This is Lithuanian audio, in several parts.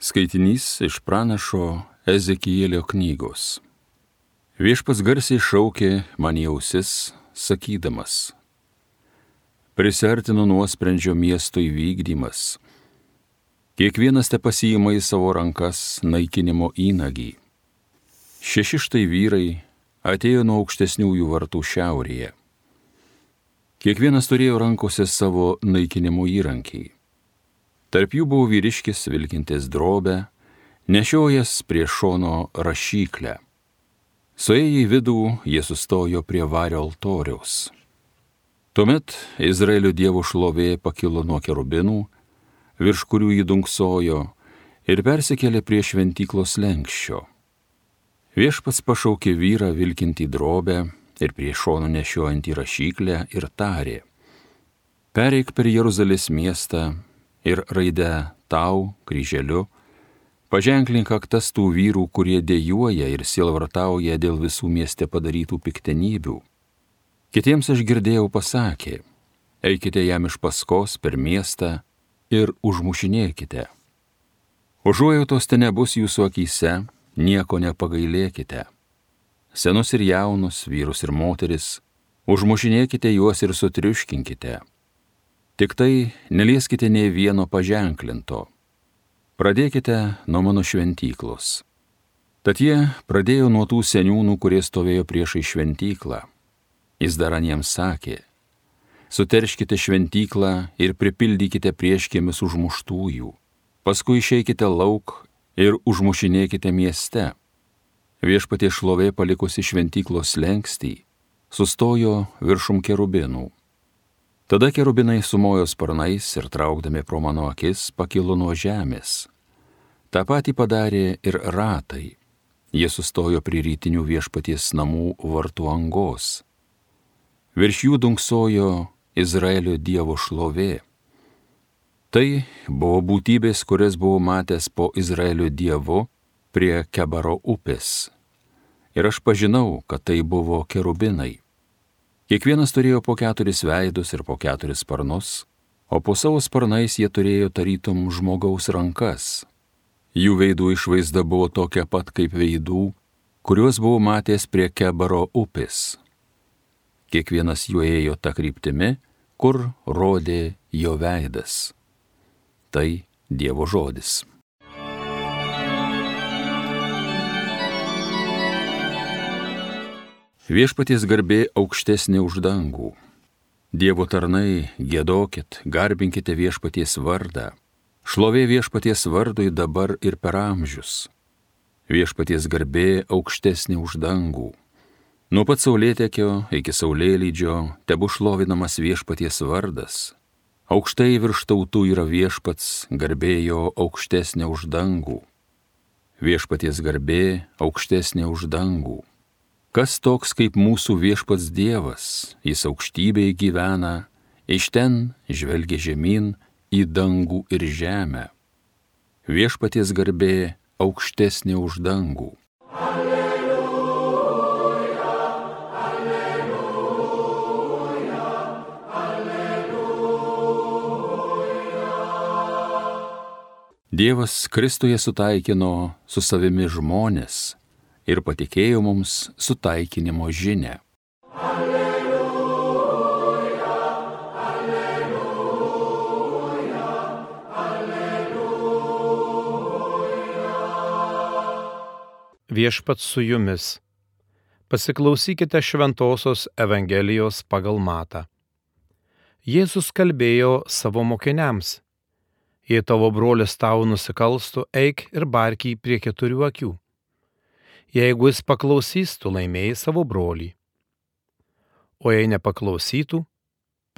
Skaitinys iš pranašo Ezekielio knygos. Viešpats garsiai šaukė man į ausis, sakydamas: Prisiartino nuosprendžio miesto įvykdymas. Kiekvienas te pasiima į savo rankas naikinimo įnagį. 6 štai vyrai atėjo nuo aukštesniųjų vartų šiaurėje. Kiekvienas turėjo rankose savo naikinimo įrankį. Tarp jų buvo vyriškis vilkintis drobę, nešiojęs prie šono rašyklę. Suėję į vidų, jie sustojo prie vario altoriaus. Tuomet Izraelio Dievo šlovė pakilo nuo kerubinų, virš kurių jį dunksojo, ir persikėlė prie šventyklos slenksčio. Viešpats pašaukė vyrą vilkintį drobę ir prie šono nešiojantį rašyklę ir tarė: Pereik per Jeruzalės miestą ir raidę tau kryželiu paženklink kaktas tų vyrų, kurie dejuoja ir sielvartauja dėl visų mieste padarytų piktenybių. Kitiems aš girdėjau pasakė: eikite jam iš paskos per miestą ir užmušinėkite. Užuojautos te nebus jūsų akyse, nieko nepagailėkite. Senus ir jaunus, vyrus ir moteris, užmušinėkite juos ir sutriuškinkite. Tik tai nelieskite nei vieno paženklinto. Pradėkite nuo mano šventyklos. Tad jie pradėjo nuo tų seniūnų, kurie stovėjo priešai šventyklą. Jis dar aniems sakė: suterškite šventyklą ir pripildykite prieškėmis užmuštųjų. Paskui išeikite lauk ir užmušinėkite mieste. Viešpaties šlovė palikusi šventyklos slenkstį sustojo viršum kerubinų. Tada kerubinai sumojo sparnais ir traukdami pro mano akis pakilo nuo žemės. Ta patį padarė ir ratai. Jie sustojo prie rytinių viešpaties namų vartų angos. Virš jų dunksojo Izraelio Dievo šlovė. Tai buvo būtybės, kurias buvau matęs po Izraelio Dievu prie Kebaro upės. Ir aš pažinau, kad tai buvo kerubinai. Kiekvienas turėjo po 4 veidus ir po 4 sparnus, o po savo sparnais jie turėjo tarytum žmogaus rankas. Jų veidų išvaizda buvo tokia pat kaip veidų, kuriuos buvau matęs prie Kebaro upės. Kiekvienas jų ėjo ta kryptimi, kur rodė jo veidas. Tai Dievo žodis. Viešpaties garbė aukštesnė už dangų. Dievo tarnai, giedokit, garbinkite viešpaties vardą. Šlovė viešpaties vardui dabar ir per amžius. Viešpaties garbė aukštesnė už dangų. Nuo pat saulėtekio iki saulėlydžio tebu šlovinamas viešpaties vardas. Aukštai virš tautų yra viešpats, garbė jo aukštesnė už dangų. Viešpaties garbė aukštesnė už dangų. Kas toks kaip mūsų viešpats Dievas, jis aukštybėje gyvena, iš ten žvelgia žemyn į dangų ir žemę. Viešpaties garbė aukštesnė už dangų. Alleluja, alleluja, alleluja. Dievas Kristuje sutaikino su savimi žmones ir patikėjo mums sutaikinimo žinią. Alleluja, alleluja, alleluja. Viešpats su jumis. Pasiklausykite šventosios Evangelijos pagal Matą. Jėzus kalbėjo savo mokiniams: jei tavo brolis tau nusikalstų, eik ir bark jį prie 4 akių. Jeigu jis paklausys, tu laimėjai savo brolį. O jei nepaklausytų,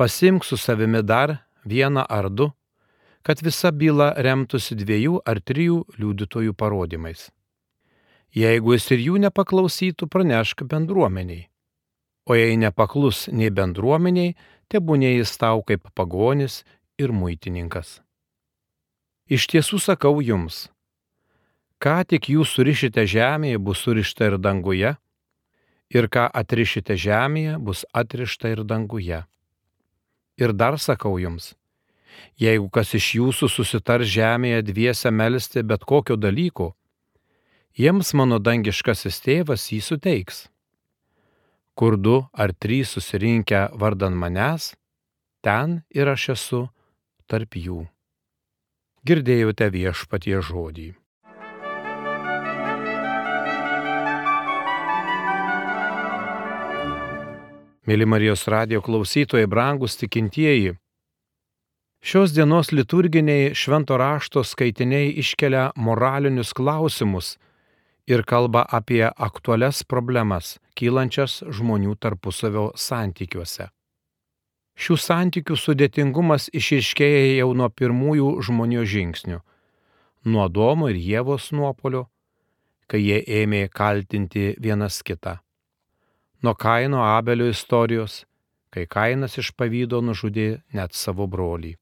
pasimk su savimi dar 1 ar 2, kad visa byla remtųsi 2 ar 3 liudytojų parodymais. Jeigu jis ir jų nepaklausytų, pranešk bendruomeniai. O jei nepaklus nei bendruomeniai, tebūnie jis tau kaip pagonis ir muitininkas. Iš tiesų sakau jums, ką tik jūs surišite žemėje, bus surišta ir danguje, ir ką atrišite žemėje, bus atrišta ir danguje. Ir dar sakau jums, Jeigu kas iš jūsų susitars žemėje dviese melsti bet kokio dalyko, jiems mano dangiškasis tėvas jį suteiks. Kur 2 ar 3 susirinkę vardan manęs, ten ir aš esu tarp jų. Girdėjote Viešpaties žodį. Mėly Marijos radijo klausytojai, brangūs tikintieji, šios dienos liturginiai švento rašto skaitiniai iškelia moralinius klausimus ir kalba apie aktualias problemas, kylančias žmonių tarpusavio santykiuose. Šių santykių sudėtingumas išryškėja jau nuo pirmųjų žmonijos žingsnių, nuo Adomo ir Ievos nuopuolio, kai jie ėmė kaltinti vienas kitą. Nuo Kaino Abelio istorijos, kai Kainas iš pavydo nužudė net savo brolį.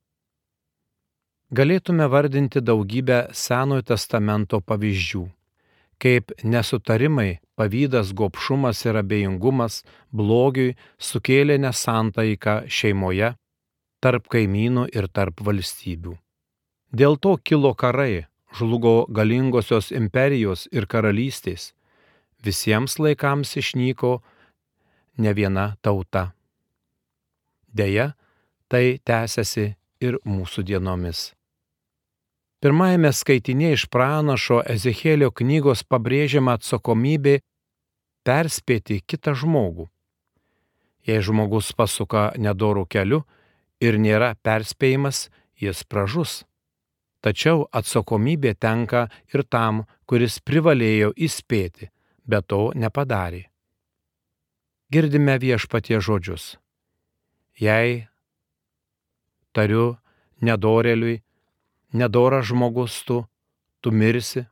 Galėtume vardinti daugybę Senojo testamento pavyzdžių, kaip nesutarimai, pavydas, gobšumas ir abejingumas blogiui sukėlė nesantaiką šeimoje, tarp kaimynų ir tarp valstybių. Dėl to kilo karai, žlugo galingosios imperijos ir karalystės, visiems laikams išnyko ne viena tauta. Deja, tai tęsiasi ir mūsų dienomis. Pirmajame skaitinėje iš pranašo Ezechielio knygos pabrėžiama atsakomybė perspėti kitą žmogų. Jei žmogus pasuka nedorų keliu ir nėra perspėjimas, jis pražus. Tačiau atsakomybė tenka ir tam, kuris privalėjo įspėti, bet to nepadarė. Girdime Viešpaties žodžius. Jei tariu nedorėliui, nedoras žmogus tu mirsi,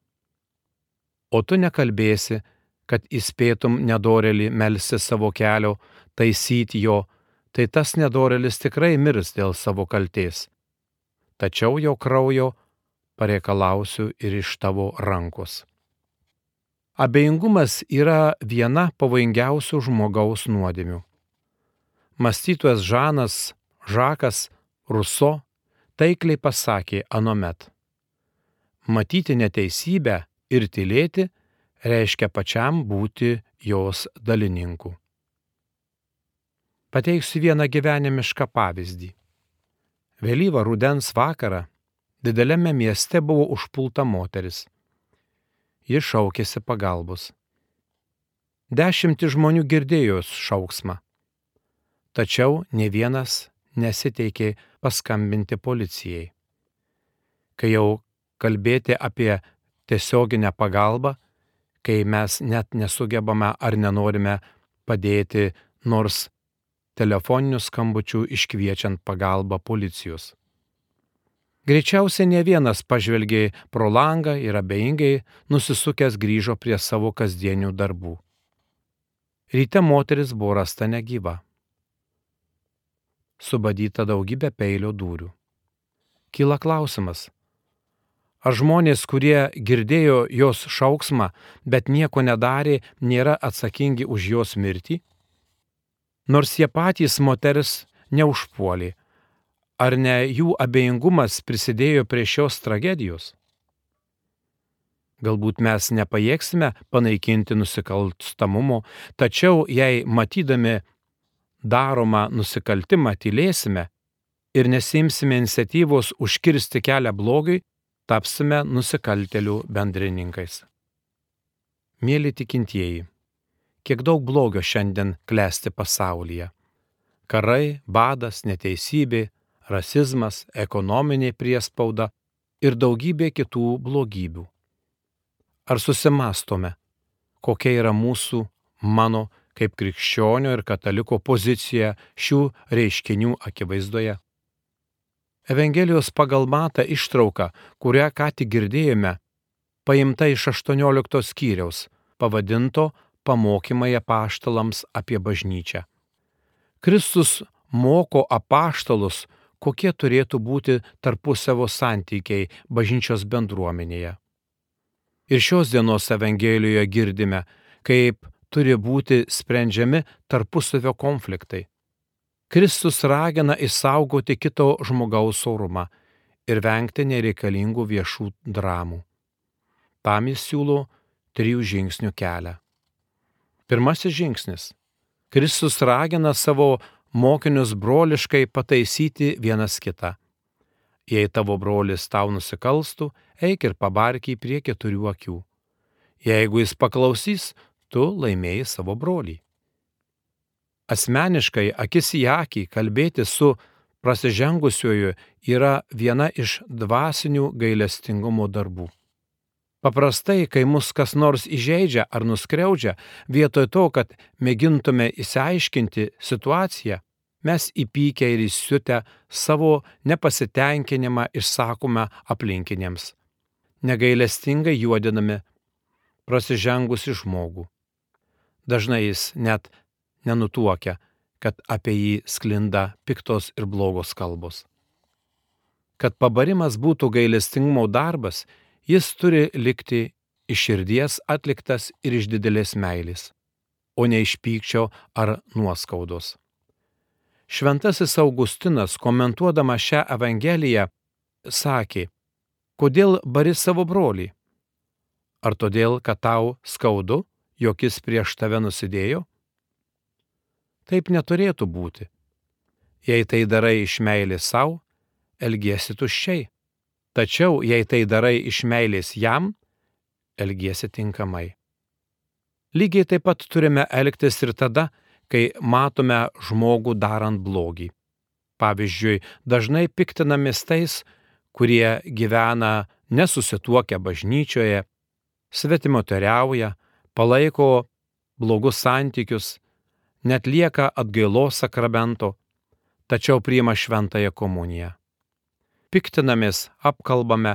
o tu nekalbėsi, kad įspėtum nedorėlį melsti savo kelio, taisyti jo, tai tas nedorėlis tikrai mirs dėl savo kaltės. Tačiau jo kraujo pareikalausiu ir iš tavo rankos. Abejingumas yra viena pavojingiausių žmogaus nuodėmių. Mąstytojas Žakas Ruso taikliai pasakė anuomet: matyti neteisybę ir tylėti reiškia pačiam būti jos dalininku. Pateiksiu vieną gyvenimišką pavyzdį. Vėlyvą rudens vakarą dideliame mieste buvo užpulta moteris. Ji šaukėsi pagalbos. 10 žmonių girdėjo jos šauksmą, tačiau nė vienas nesiteikė paskambinti policijai. Kai jau kalbėti apie tiesioginę pagalbą, kai mes net nesugebame ar nenorime padėti nors telefoninių skambučių iškviečiant pagalbą policijos. Greičiausiai ne vienas pažvelgė pro langą ir abejingai nusisukęs grįžo prie savo kasdienių darbų. Ryte moteris buvo rasta negyva. Subadyta daugybė peilio dūrių. Kyla klausimas, ar žmonės, kurie girdėjo jos šauksmą, bet nieko nedarė, nėra atsakingi už jos mirtį? Nors jie patys moters neužpuolė, ar ne jų abejingumas prisidėjo prie šios tragedijos? Galbūt mes nepajėgsime panaikinti nusikalstamumo, tačiau jei matydami daromą nusikaltimą tylėsime ir nesimsime iniciatyvos užkirsti kelią blogiui, tapsime nusikaltėlių bendrininkais. Mėly tikintieji, kiek daug blogio šiandien klesti pasaulyje. Karai, badas, neteisybė, rasizmas, ekonominė priespauda ir daugybė kitų blogybių. Ar susimąstome, kokia yra mūsų, mano, kaip krikščionio ir kataliko pozicija šių reiškinių akivaizdoje? Evangelijos pagal Matą ištrauka, kurią ką tik girdėjome, paimta iš 18 skyriaus, pavadinto Pamokymai apaštalams apie bažnyčią. Kristus moko apaštalus, kokie turėtų būti tarpusavio santykiai bažnyčios bendruomenėje. Ir šios dienos Evangelijoje girdime, kaip turi būti sprendžiami tarpusavio konfliktai. Kristus ragina išsaugoti kito žmogaus orumą ir vengti nereikalingų viešų dramų. Tam jis siūlo 3 žingsnių kelią. Pirmasis žingsnis. Kristus ragina savo mokinius broliškai pataisyti vienas kitą. Jei tavo brolis tau nusikalstų, eik ir pabark jį prie 4 akių. Jeigu jis paklausys, tu laimėjai savo brolį. Asmeniškai akis į akį kalbėti su prasižengusiuoju yra viena iš dvasinių gailestingumo darbų. Paprastai, kai mus kas nors įžeidžia ar nuskriaudžia, vietoj to, kad mėgintume išsiaiškinti situaciją, mes įpykę ir įsiutę savo nepasitenkinimą išsakome aplinkiniams, negailestingai juodinami prasižengusi žmogų. Dažnai jis net nenutuokia, kad apie jį sklinda piktos ir blogos kalbos. Kad pabarimas būtų gailestingumo darbas, jis turi likti iš širdies atliktas ir iš didelės meilės, o ne iš pykčio ar nuoskaudos. Šventasis Augustinas, komentuodama šią Evangeliją, sakė: kodėl bari savo brolį? Ar todėl, kad tau skaudu, jog jis prieš tave nusidėjo? Taip neturėtų būti. Jei tai darai iš meilės sau, elgiesi tuščiai. Tačiau, jei tai darai iš meilės jam, elgiesi tinkamai. Lygiai taip pat turime elgtis ir tada, kai matome žmogų darant blogį. Pavyzdžiui, dažnai piktinamės tais, kurie gyvena nesusituokę bažnyčioje, svetimoteriauja, palaiko blogus santykius, neatlieka atgailos sakramento, tačiau priima šventąją komuniją. Piktinamės, apkalbame,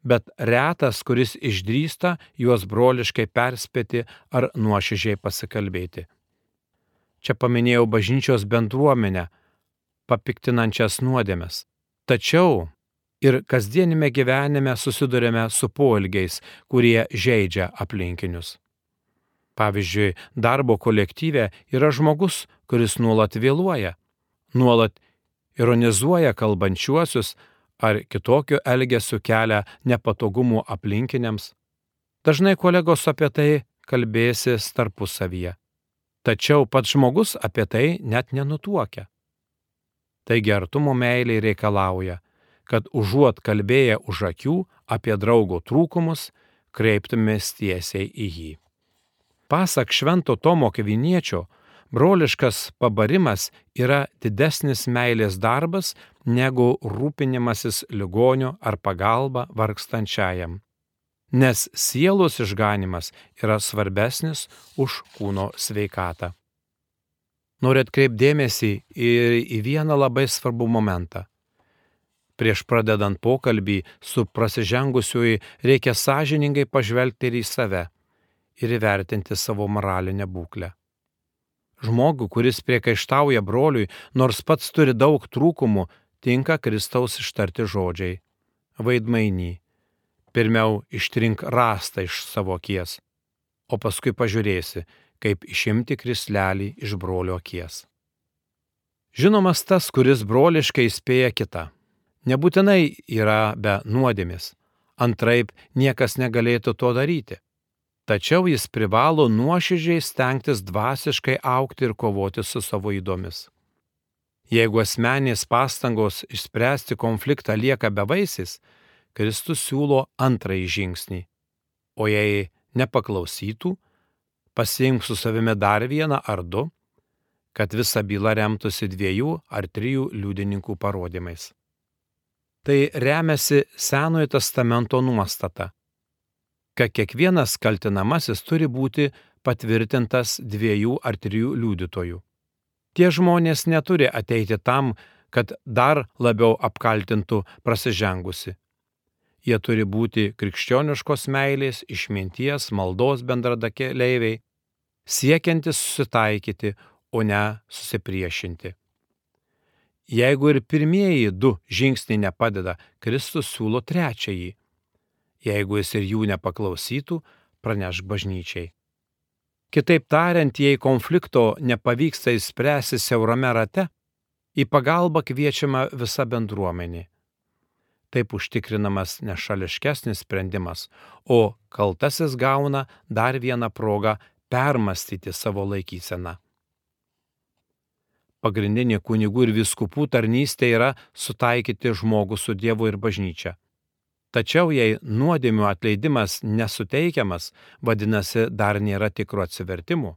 bet retas, kuris išdrįsta juos broliškai perspėti ar nuoširdžiai pasikalbėti. Čia paminėjau bažnyčios bendruomenę, papiktinančias nuodėmes. Tačiau ir kasdienime gyvenime susidurėme su poelgiais, kurie žeidžia aplinkinius. Pavyzdžiui, darbo kolektyve yra žmogus, kuris nuolat vėluoja, nuolat ironizuoja kalbančiuosius ar kitokio elgesio kelia nepatogumų aplinkiniams. Dažnai kolegos apie tai kalbėsis tarpusavyje, tačiau pats žmogus apie tai net nenutuokia. Taigi artumo meilė reikalauja, kad užuot kalbėję už akių apie draugo trūkumus, kreiptumės tiesiai į jį. Pasak Švento Tomo Akviniečio, broliškas pabarimas yra didesnis meilės darbas negu rūpinimasis ligoniu ar pagalba vargstančiajam, nes sielos išganimas yra svarbesnis už kūno sveikatą. Noriu atkreipti dėmesį ir į vieną labai svarbų momentą. Prieš pradedant pokalbį su prasižengusiuoju reikia sąžiningai pažvelgti ir į save ir įvertinti savo moralinę būklę. Žmogų, kuris priekaištauja broliui, nors pats turi daug trūkumų, tinka Kristaus ištarti žodžiai: vaidmainy, pirmiau ištrink rąstą iš savo akies, o paskui pažiūrėsi, kaip išimti krislelį iš brolio akies. Žinomas tas, kuris broliškai įspėja kitą. Nebūtinai yra be nuodėmės, antraip niekas negalėtų to daryti. Tačiau jis privalo nuoširdžiai stengtis dvasiškai augti ir kovoti su savo ydomis. Jeigu asmeninės pastangos išspręsti konfliktą lieka bevaisės, Kristus siūlo antrąjį žingsnį, o jei nepaklausytų, pasiimk su savimi dar vieną ar 2, kad visa byla remtųsi 2 ar 3 liudininkų parodymais. Tai remiasi Senojo testamento nuostata, kad kiekvienas kaltinamasis turi būti patvirtintas 2 ar 3 liudytojų. Tie žmonės neturi ateiti tam, kad dar labiau apkaltintų prasižengusi. Jie turi būti krikščioniškos meilės, išminties, maldos bendrakeleiviai, siekiantis susitaikyti, o ne susipriešinti. Jeigu ir pirmieji 2 žingsniai nepadeda, Kristus siūlo 3. Jeigu jis ir jų nepaklausytų, pranešk bažnyčiai. Kitaip tariant, jei konflikto nepavyksta išspręsti siaurame rate, Į pagalbą kviečiama visa bendruomenė. Taip užtikrinamas nešališkesnis sprendimas, o kaltasis gauna dar vieną progą permastyti savo laikyseną. Pagrindinė kunigų ir vyskupų tarnystė yra sutaikyti žmogų su Dievu ir bažnyčia. Tačiau jei nuodėmių atleidimas nesuteikiamas, vadinasi, dar nėra tikro atsivertimo.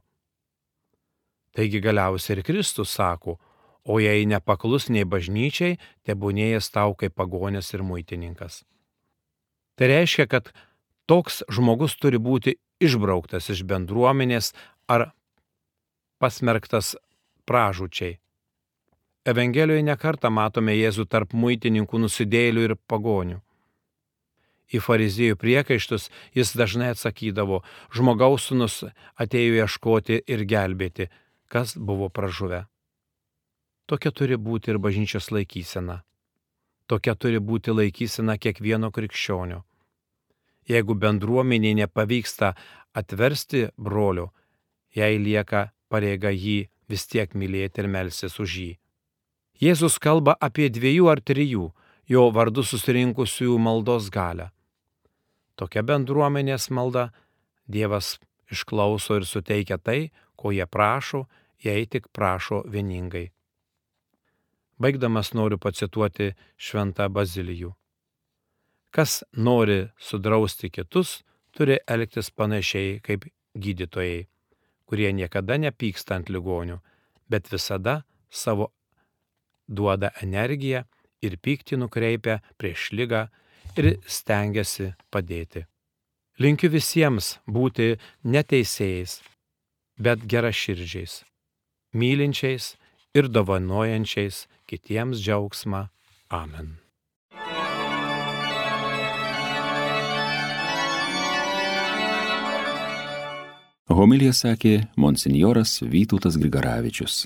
Taigi galiausiai ir Kristus sako, o jei nepaklus nei bažnyčiai, tebūnėjas tau kaip pagonis ir muitininkas. Tai reiškia, kad toks žmogus turi būti išbrauktas iš bendruomenės ar pasmerktas pražūčiai. Evangelijoje nekartą matome Jėzų tarp muitininkų, nusidėjėlių ir pagonių. Į fariziejų priekaištus jis dažnai atsakydavo, žmogaus sūnus atėjo ieškoti ir gelbėti, kas buvo pražuvę. Tokia turi būti ir bažnyčios laikysena. Tokia turi būti laikysena kiekvieno krikščionio. Jeigu bendruomeniai nepavyksta atversti brolio, jai lieka pareiga jį vis tiek mylėti ir melstis už jį. Jėzus kalba apie 2 ar 3 jo vardu susirinkusiųjų maldos galią. Tokia bendruomenės malda Dievas išklauso ir suteikia tai, ko jie prašo, jei tik prašo vieningai. Baigdamas noriu pacituoti šventą Bazilijų. Kas nori sudrausti kitus, turi elgtis panašiai kaip gydytojai, kurie niekada nepyksta ant ligonių, bet visada savo duoda energiją ir pyktį nukreipia prieš ligą ir stengiasi padėti. Linkiu visiems būti neteisėjais, bet geraširdžiais, mylinčiais ir dovanojančiais kitiems džiaugsmą. Amen. Homiliją sakė monsinjoras Vytautas Grigaravičius.